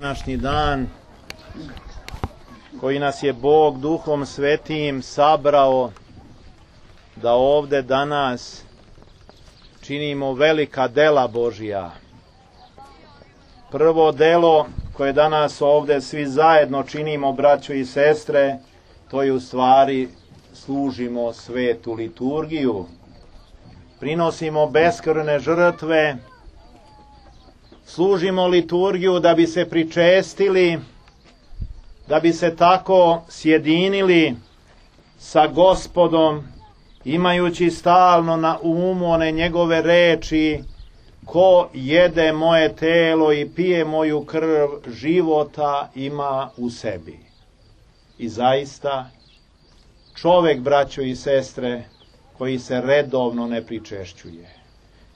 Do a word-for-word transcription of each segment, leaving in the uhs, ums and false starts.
Današnji dan koji nas je Bog Duhom Svetim sabrao da ovde danas činimo velika dela Božja. Prvo delo koje danas ovde svi zajedno činimo, braćo i sestre, to je u stvari služimo svetu liturgiju. Prinosimo beskrvne žrtve, služimo liturgiju da bi se pričestili, da bi se tako sjedinili sa Gospodom, imajući stalno na umu one njegove reči: ko jede moje telo i pije moju krv, života ima u sebi. I zaista, čovek, braćo i sestre, koji se redovno ne pričešćuje,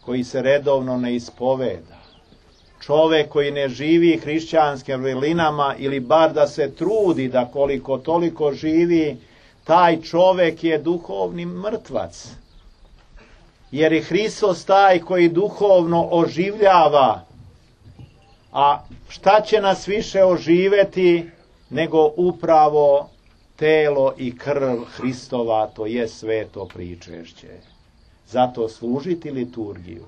koji se redovno ne ispoveda, čovek koji ne živi hrišćanskim vrlinama ili bar da se trudi da koliko toliko živi, taj čovek je duhovni mrtvac. Jer je Hristos taj koji duhovno oživljava. A šta će nas više oživeti nego upravo telo i krv Hristova, to je sveto pričešće. Zato služiti liturgiju,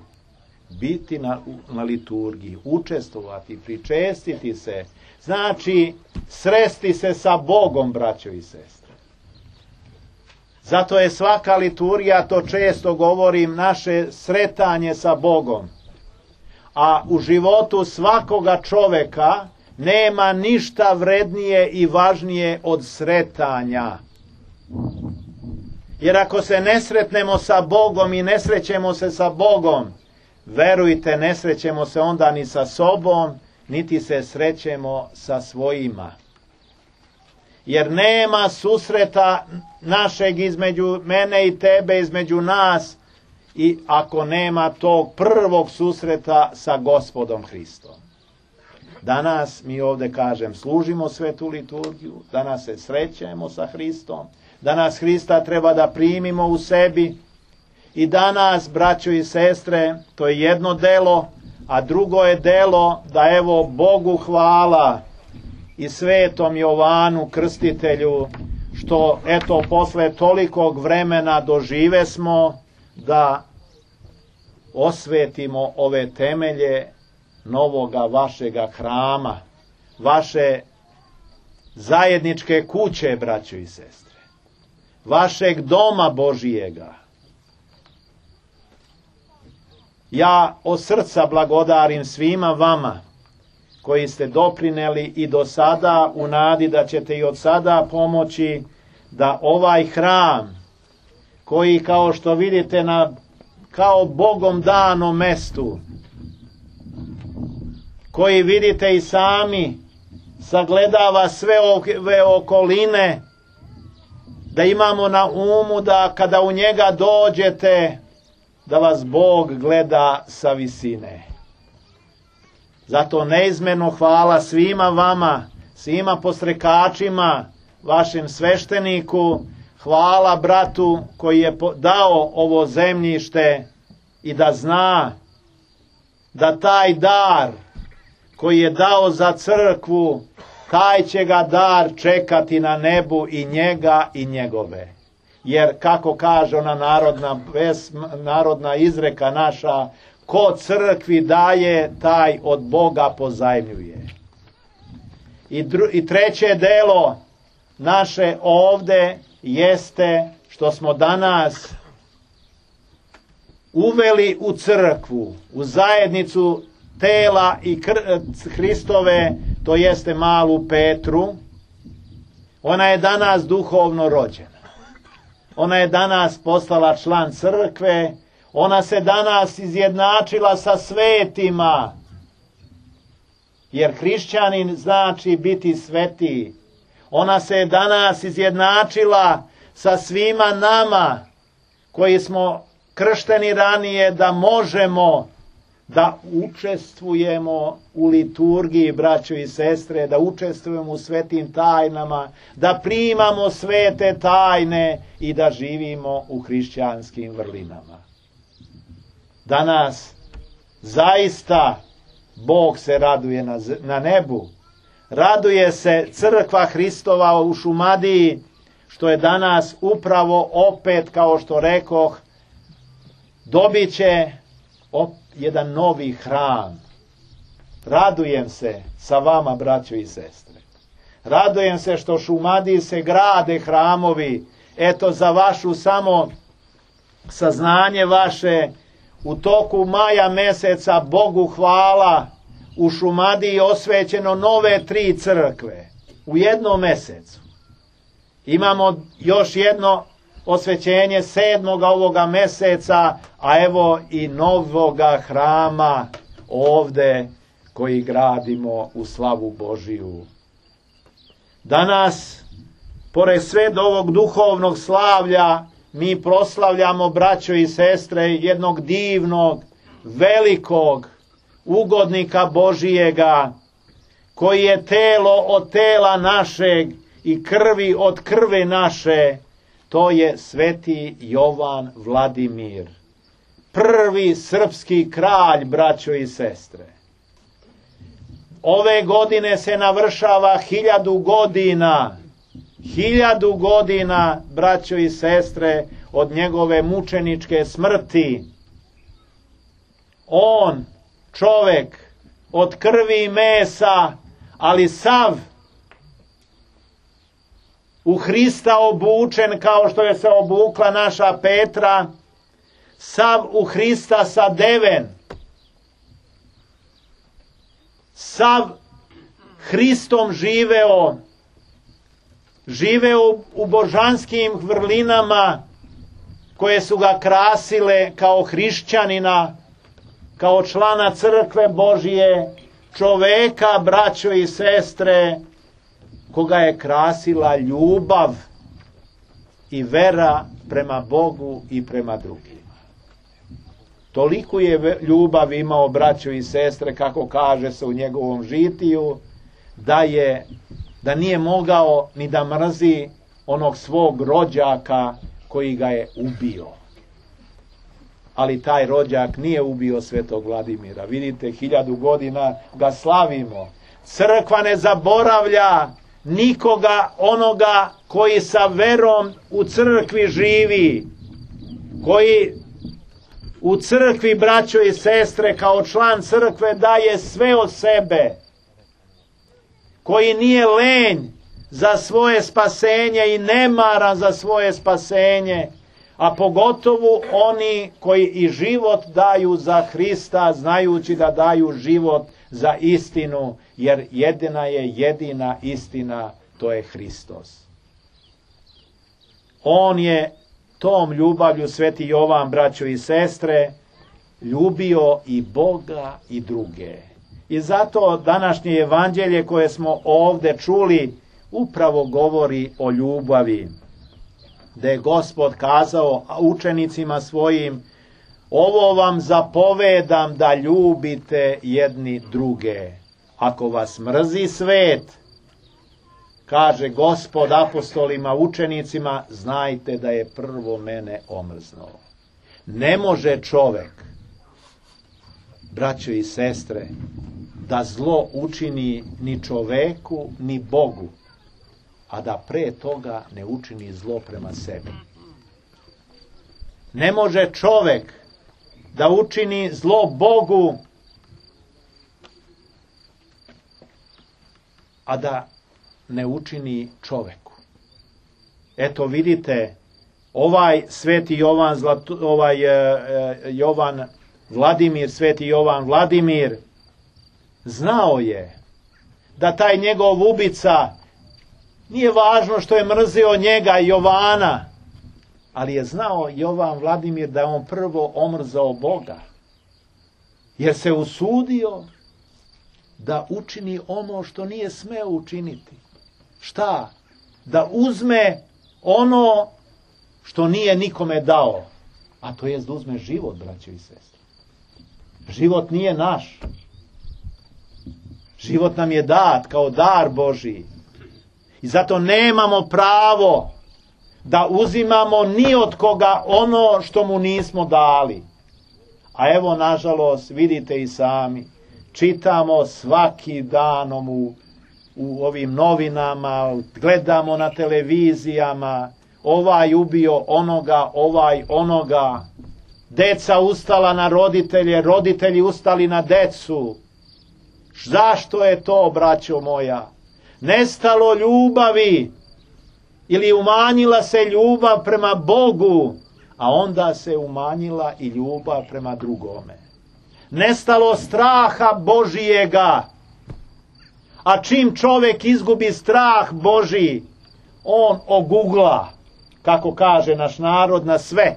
biti na, na liturgiji, učestvovati, pričestiti se, znači sresti se sa Bogom, braćo i sestre. Zato je svaka liturgija, to često govorim, naše sretanje sa Bogom. A u životu svakoga čoveka nema ništa vrednije i važnije od sretanja. Jer ako se ne sretnemo sa Bogom i ne srećemo se sa Bogom, verujte, ne srećemo se onda ni sa sobom, niti se srećemo sa svojima. Jer nema susreta našeg između mene i tebe, između nas, i ako nema tog prvog susreta sa Gospodom Hristom. Danas mi ovde, kažem, služimo svetu liturgiju, danas se srećemo sa Hristom, danas Hrista treba da primimo u sebi i danas, braćo i sestre, to je jedno delo, a drugo je delo da evo Bogu hvala i svetom Jovanu Krstitelju što eto posle tolikog vremena dožive smo da osvetimo ove temelje novoga vašega hrama, vaše zajedničke kuće, braćo i sestre, vašeg doma Božijega. Ja od srca blagodarim svima vama koji ste doprineli i do sada, u nadi da ćete i od sada pomoći da ovaj hram, koji kao što vidite na kao Bogom danom mestu, koji vidite i sami sagledava sve ove okoline, da imamo na umu da kada u njega dođete, da vas Bog gleda sa visine. Zato neizmjerno hvala svima vama, svima postrekačima, vašem svešteniku, hvala bratu koji je dao ovo zemljište i da zna da taj dar koji je dao za crkvu, taj će ga dar čekati na nebu i njega i njegove. Jer kako kaže ona narodna, narodna izreka naša, ko crkvi daje, taj od Boga pozajmljuje. I, dru, I treće delo naše ovde jeste što smo danas uveli u crkvu, u zajednicu tela i kr, Hristove, to jeste malu Petru. Ona je danas duhovno rođena. Ona je danas postala član crkve. Ona se danas izjednačila sa svetima. Jer hrišćanin znači biti sveti. Ona se danas izjednačila sa svima nama koji smo kršteni ranije, da možemo da učestvujemo u liturgiji, braćo i sestre, da učestvujemo u svetim tajnama, da primamo svete tajne i da živimo u hrišćanskim vrlinama. Danas zaista Bog se raduje na, na nebu Raduje se crkva Hristova u Šumadiji, što je danas upravo opet, kao što rekoh, dobit će jedan novi hram. Radujem se sa vama, braćo i sestre. Radujem se što Šumadiji se grade hramovi. Eto, za vašu samo saznanje vaše, u toku maja meseca, Bogu hvala, u Šumadiji osvećeno nove tri crkve u jednom mesecu. Imamo još jedno osvećenje sedmoga ovoga meseca, a evo i novoga hrama ovde koji gradimo u slavu Božiju. Danas, pored sve ovog duhovnog slavlja, mi proslavljamo, braćo i sestre, jednog divnog, velikog ugodnika Božijega, koji je telo od tela našeg i krvi od krvi naše. To je sveti Jovan Vladimir, prvi srpski kralj, braćo i sestre. Ove godine se navršava hiljadu godina, hiljadu godina, braćo i sestre, od njegove mučeničke smrti. On, čovek, od krvi i mesa, ali sav u Hrista obučen, kao što je se obukla naša Petra, sav u Hrista sadeven, sav Hristom živeo, živeo u božanskim vrlinama koje su ga krasile kao hrišćanina, kao člana crkve Božije, čoveka, braćo i sestre, koga je krasila ljubav i vera prema Bogu i prema drugima. Toliko je ljubav imao, braćo i sestre, kako kaže se u njegovom žitiju, da je da nije mogao ni da mrzi onog svog rođaka koji ga je ubio. Ali taj rođak nije ubio svetog Vladimira. Vidite, hiljadu godina ga slavimo. Crkva ne zaboravlja nikoga onoga koji sa verom u crkvi živi, koji u crkvi, braćo i sestre, kao član crkve daje sve od sebe, koji nije lenj za svoje spasenje i nemaran za svoje spasenje, a pogotovo oni koji i život daju za Hrista, znajući da daju život za istinu, jer jedina je jedina istina, to je Hristos. On je tom ljubavlju, sveti Jovan, braćo i sestre, ljubio i Boga i druge. I zato današnje evanđelje koje smo ovde čuli upravo govori o ljubavi. Da je Gospod kazao učenicima svojim: ovo vam zapovedam da ljubite jedni druge. Ako vas mrzi svet, kaže Gospod apostolima, učenicima, znajte da je prvo mene omrznuo. Ne može čovek, braćo i sestre, da zlo učini ni čoveku, ni Bogu, a da pre toga ne učini zlo prema sebi. Ne može čovek da učini zlo Bogu, a da ne učini čoveku. Eto vidite, ovaj sveti Jovan, Zlatu, ovaj e, Jovan Vladimir, sveti Jovan Vladimir, znao je da taj njegov ubica, nije važno što je mrzio njega, Jovana, ali je znao Jovan Vladimir da je on prvo omrzao Boga, jer se usudio da učini ono što nije smeo učiniti. Šta? Da uzme ono što nije nikome dao, a to je da uzme život, braćo i sestre. Život nije naš. Život nam je dat kao dar Božiji. I zato nemamo pravo da uzimamo ni od koga ono što mu nismo dali. A evo, nažalost, vidite i sami, čitamo svaki dan u, u ovim novinama, gledamo na televizijama, ovaj ubio onoga, ovaj onoga, deca ustala na roditelje, roditelji ustali na decu. Zašto je to, braćo moja? Nestalo ljubavi ili umanjila se ljubav prema Bogu, a onda se umanjila i ljubav prema drugome. Nestalo straha Božijega, a čim čovjek izgubi strah Božji, on ogugla, kako kaže naš narod, na sve.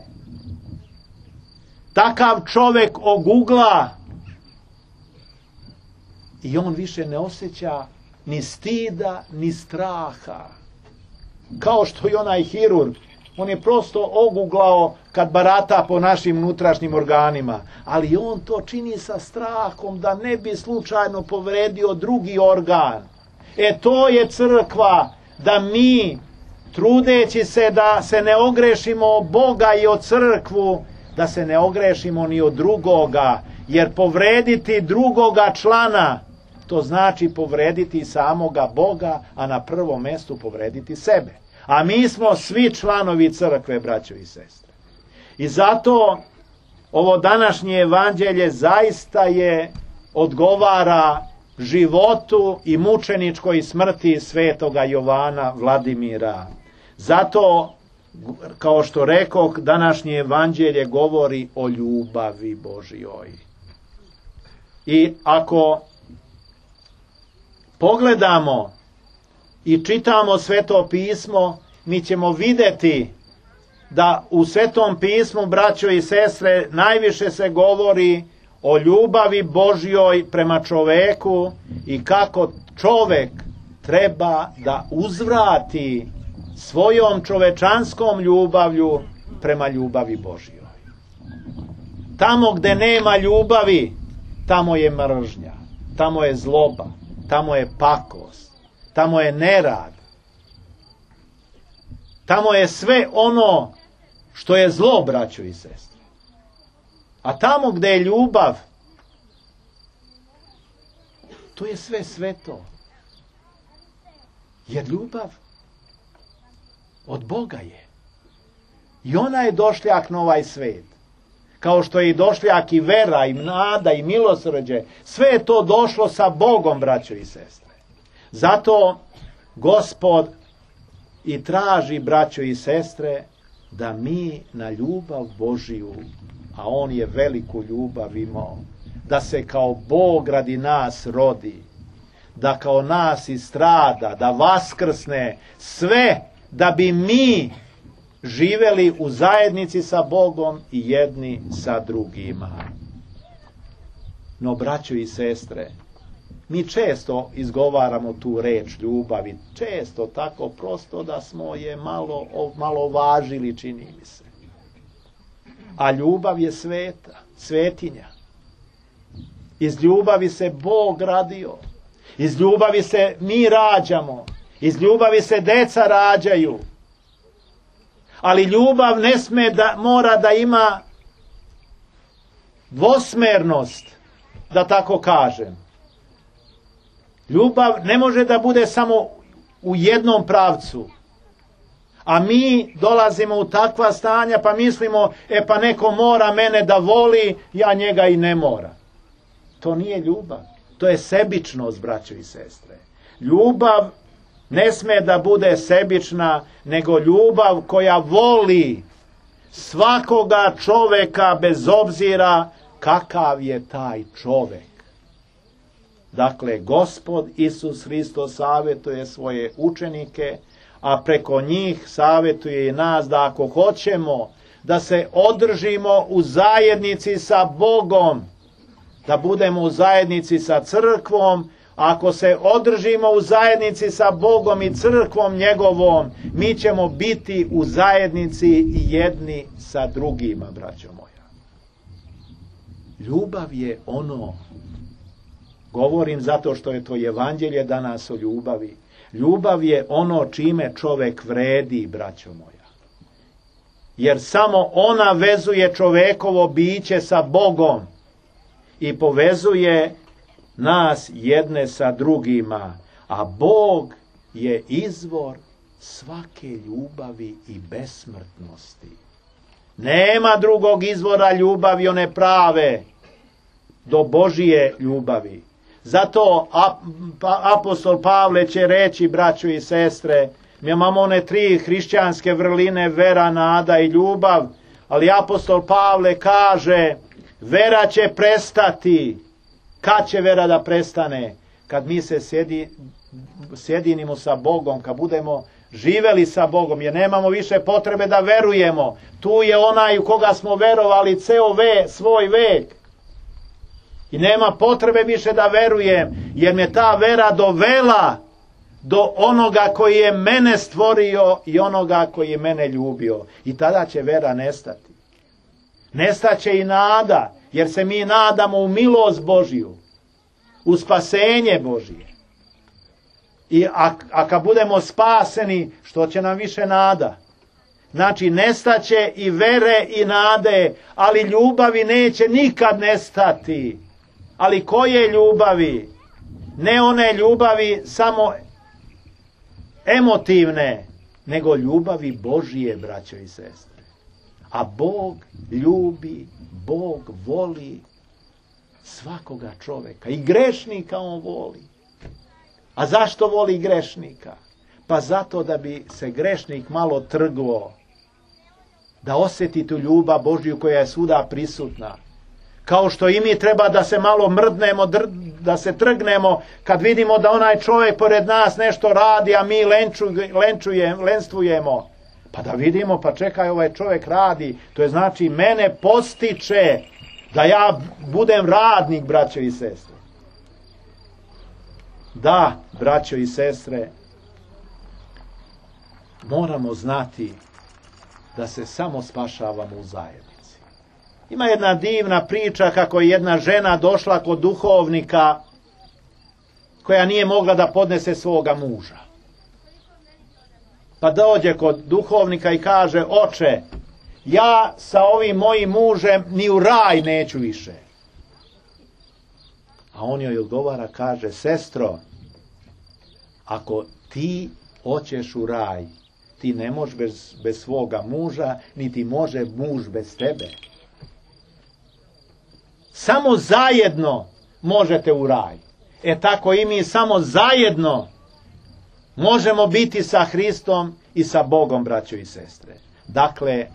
Takav čovjek ogugla i on više ne osjeća ni stida, ni straha. Kao što i onaj hirurg, on je prosto oguglao kad barata po našim unutrašnjim organima, ali on to čini sa strahom da ne bi slučajno povredio drugi organ. E to je crkva, da mi, trudeći se da se ne ogrešimo o Boga i o crkvu, da se ne ogrešimo ni od drugoga, jer povrediti drugoga člana, to znači povrediti samoga Boga, a na prvom mjestu povrediti sebe. A mi smo svi članovi crkve, braćo i sestre. I zato ovo današnje evanđelje zaista je odgovara životu i mučeničkoj smrti svetoga Jovana Vladimira. Zato, kao što rekoh, današnje evanđelje govori o ljubavi Božjoj. I ako pogledamo i čitamo Sveto pismo, mi ćemo vidjeti da u Svetom pismu, braćo i sestre, najviše se govori o ljubavi Božjoj prema čoveku i kako čovek treba da uzvrati svojom čovečanskom ljubavlju prema ljubavi Božjoj. Tamo gde nema ljubavi, tamo je mržnja, tamo je zloba, tamo je pakost, tamo je nerad, tamo je sve ono što je zlo, braćo i sestre. A tamo gde je ljubav, to je sve sveto. Jer ljubav od Boga je. I ona je došljak na ovaj svet. Kao što je i došljak i vera, i nada, i milosrđe. Sve je to došlo sa Bogom, braćo i sestre. Zato Gospod i traži, braćo i sestre, da mi na ljubav Božiju, a on je veliku ljubav imao, da se kao Bog radi nas rodi, da kao nas istrada, da vaskrsne, sve da bi mi živeli u zajednici sa Bogom i jedni sa drugima. No, braćo i sestre, mi često izgovaramo tu reč ljubavi, često tako prosto da smo je malo, malo važili, čini mi se. A ljubav je sveta, svetinja. Iz ljubavi se Bog radio. Iz ljubavi se mi rađamo. Iz ljubavi se deca rađaju. Ali ljubav ne sme da, mora da ima dvosmernost, da tako kažem. Ljubav ne može da bude samo u jednom pravcu. A mi dolazimo u takva stanja pa mislimo, e pa neko mora mene da voli, ja njega i ne mora. To nije ljubav. To je sebičnost, braćo i sestre. Ljubav ne sme da bude sebična, nego ljubav koja voli svakoga čoveka bez obzira kakav je taj čovek. Dakle, Gospod Isus Hristos savjetuje svoje učenike, a preko njih savjetuje i nas da ako hoćemo da se održimo u zajednici sa Bogom, da budemo u zajednici sa crkvom, ako se održimo u zajednici sa Bogom i crkvom njegovom, mi ćemo biti u zajednici jedni sa drugima, braćo moja. Ljubav je ono, govorim zato što je to evanđelje danas o ljubavi, ljubav je ono čime čovek vredi, braćo moja. Jer samo ona vezuje čovekovo biće sa Bogom i povezuje nas jedne sa drugima. A Bog je izvor svake ljubavi i besmrtnosti. Nema drugog izvora ljubavi, one prave, do Božije ljubavi. Zato apostol Pavle će reći, braćo i sestre, mi imamo one tri hrišćanske vrline, vera, nada i ljubav, ali apostol Pavle kaže, vera će prestati. Kad će vera da prestane? Kad mi se sjedi, sjedinimo sa Bogom, kad budemo živeli sa Bogom, jer nemamo više potrebe da verujemo. Tu je onaj u koga smo verovali ceo ve, svoj vek. I nema potrebe više da verujem, jer me ta vera dovela do onoga koji je mene stvorio i onoga koji je mene ljubio. I tada će vera nestati. Nestaće i nada, jer se mi nadamo u milost Božiju, u spasenje Božije. I a, a kad budemo spaseni, što će nam više nada? Znači, nestaće i vere i nade, ali ljubavi neće nikad nestati. Ali koje ljubavi? Ne one ljubavi samo emotivne, nego ljubavi Božije, braćo i sestre. A Bog ljubi, Bog voli svakoga čoveka. I grešnika on voli. A zašto voli grešnika? Pa zato da bi se grešnik malo trglo, da osjeti tu ljubav Božju koja je svuda prisutna. Kao što i mi treba da se malo mrdnemo, da se trgnemo kad vidimo da onaj čovjek pored nas nešto radi, a mi lenčujemo, lenstvujemo. Pa da vidimo, pa čekaj, ovaj čovjek radi. To je znači mene postiče da ja budem radnik, braćo i sestre. Da, braćo i sestre, moramo znati da se samo spašavamo u zajednici. Ima jedna divna priča kako je jedna žena došla kod duhovnika koja nije mogla da podnese svoga muža. Pa dođe kod duhovnika i kaže, oče, ja sa ovim mojim mužem ni u raj neću više. A on joj odgovara, kaže, sestro, ako ti hoćeš u raj, ti ne možeš bez, bez svoga muža, niti može muž bez tebe. Samo zajedno možete u raj. E tako i mi samo zajedno možemo biti sa Hristom i sa Bogom, braćo i sestre. Dakle,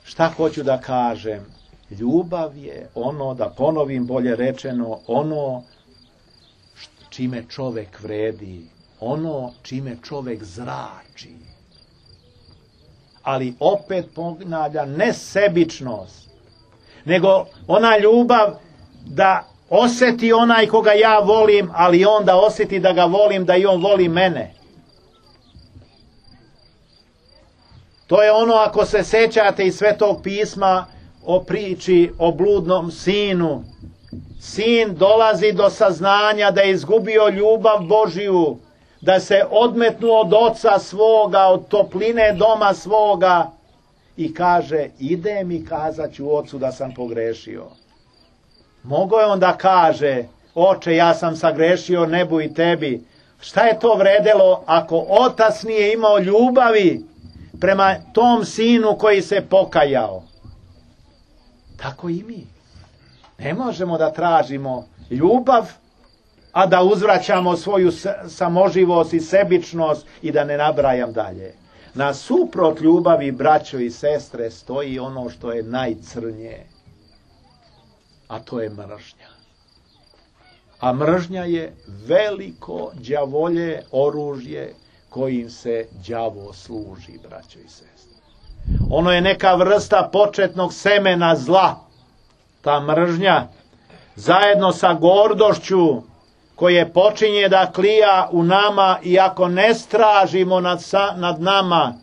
šta hoću da kažem? Ljubav je ono, da ponovim bolje rečeno, ono čime čovek vredi, ono čime čovek zrači. Ali opet ponavlja, ne sebičnost, nego ona ljubav da osjeti onaj koga ja volim, ali on da osjeti da ga volim, da i on voli mene. To je ono, ako se sećate iz Svetog pisma o priči o bludnom sinu. Sin dolazi do saznanja da je izgubio ljubav Božiju, da se odmetnuo od oca svoga, od topline doma svoga i kaže, idem i kazat ću ocu da sam pogrešio. Mogao je on da kaže, oče, ja sam sagrešio nebu i tebi. Šta je to vredelo ako otac nije imao ljubavi prema tom sinu koji se pokajao? Tako i mi. Ne možemo da tražimo ljubav, a da uzvraćamo svoju samoživost i sebičnost i da ne nabrajam dalje. Nasuprot ljubavi, braćo i sestre, stoji ono što je najcrnje, a to je mržnja. A mržnja je veliko đavolje oružje kojim se đavo služi, braćo i sestre. Ono je neka vrsta početnog semena zla. Ta mržnja, zajedno sa gordošću, koje počinje da klija u nama i ako ne stražimo nad, sa, nad nama,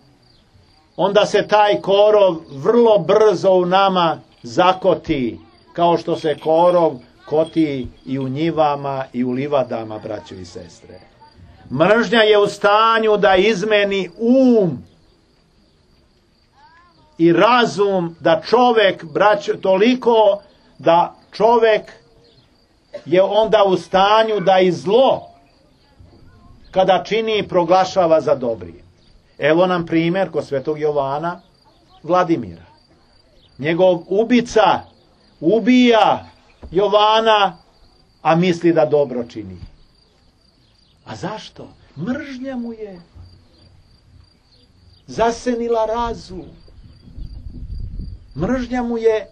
onda se taj korov vrlo brzo u nama zakoti, kao što se korov koti i u njivama i u livadama, braćo i sestre. Mržnja je u stanju da izmeni um i razum, da čovek, braćo, toliko da čovek je onda u stanju da i zlo kada čini i proglašava za dobri. Evo nam primjer kod svetog Jovana Vladimira. Njegov ubica ubija Jovana, a misli da dobro čini. A zašto? Mržnja mu je zasenila razum. Mržnja mu je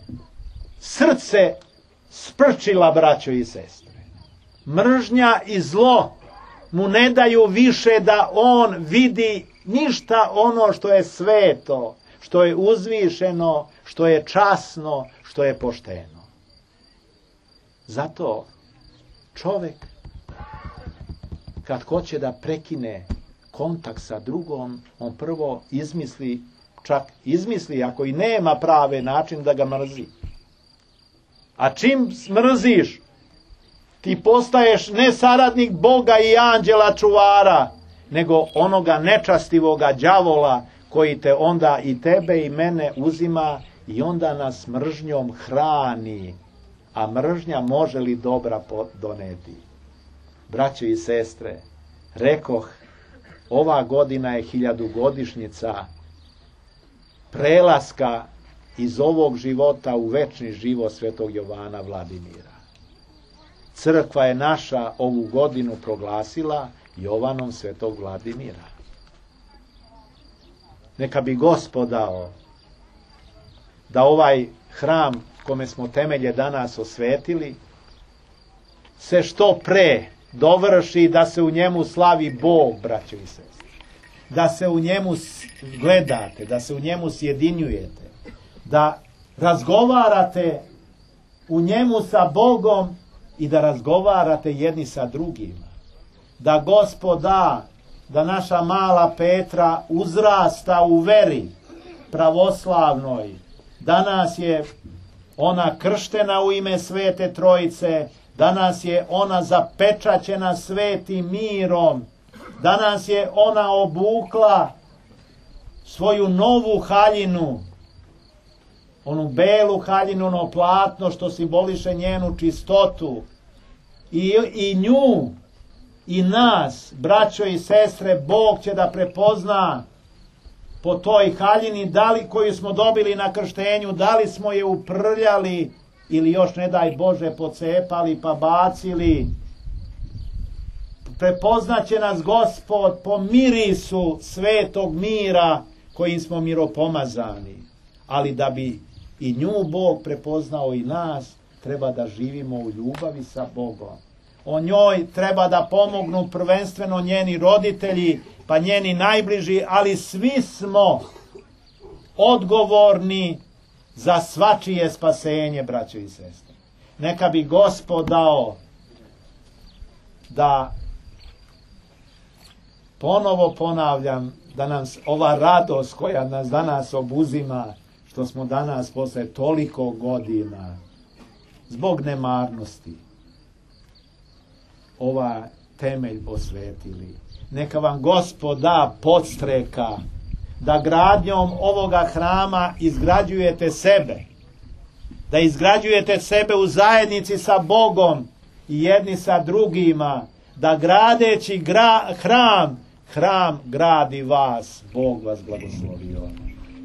srce sprčila, braćo i sestre. Mržnja i zlo mu ne daju više da on vidi ništa ono što je sveto, što je uzvišeno, što je časno, što je pošteno. Zato čovjek kad hoće da prekine kontakt sa drugom, on prvo izmisli, čak izmisli ako i nema prave način da ga mrzi. A čim mrziš, ti postaješ ne saradnik Boga i anđela čuvara, nego onoga nečastivoga đavola koji te onda i tebe i mene uzima i onda nas mržnjom hrani. A mržnja može li dobra doneti? Braćo i sestre, rekoh, ova godina je hiljadugodišnjica prelaska iz ovog života u večni život svetog Jovana Vladimira. Crkva je naša ovu godinu proglasila Jovanom svetog Vladimira. Neka bi Gospod dao da ovaj hram kome smo temelje danas osvetili se što pre dovrši, da se u njemu slavi Bog, braćo i sestre. Da se u njemu gledate, da se u njemu sjedinjujete, da razgovarate u njemu sa Bogom i da razgovarate jedni sa drugima. Da Gospod da, da naša mala Petra uzrasta u veri pravoslavnoj. Danas je ona krštena u ime Svete Trojice, danas je ona zapečaćena svetim mirom, danas je ona obukla svoju novu haljinu, onu belu haljinu, ono platno što simboliše njenu čistotu. I, i nju, i nas, braćo i sestre, Bog će da prepozna po toj haljini, da li koju smo dobili na krštenju, da li smo je uprljali ili još ne daj Bože pocepali pa bacili. Prepoznaće nas Gospod po mirisu svetog mira kojim smo miropomazani. Ali da bi i nju Bog prepoznao i nas, treba da živimo u ljubavi sa Bogom. O njoj treba da pomognu prvenstveno njeni roditelji, pa njeni najbliži, ali svi smo odgovorni za svačije spasenje, braćo i sestre. Neka bi Gospod dao da, ponovo ponavljam, da nas ova radost koja nas danas obuzima, što smo danas posle toliko godina, zbog nemarnosti, ova temelj posvetili. Neka vam Gospod da podstreka da gradnjom ovoga hrama izgrađujete sebe, da izgrađujete sebe u zajednici sa Bogom i jedni sa drugima, da gradeći gra, hram, hram gradi vas. Bog vas blagoslovio.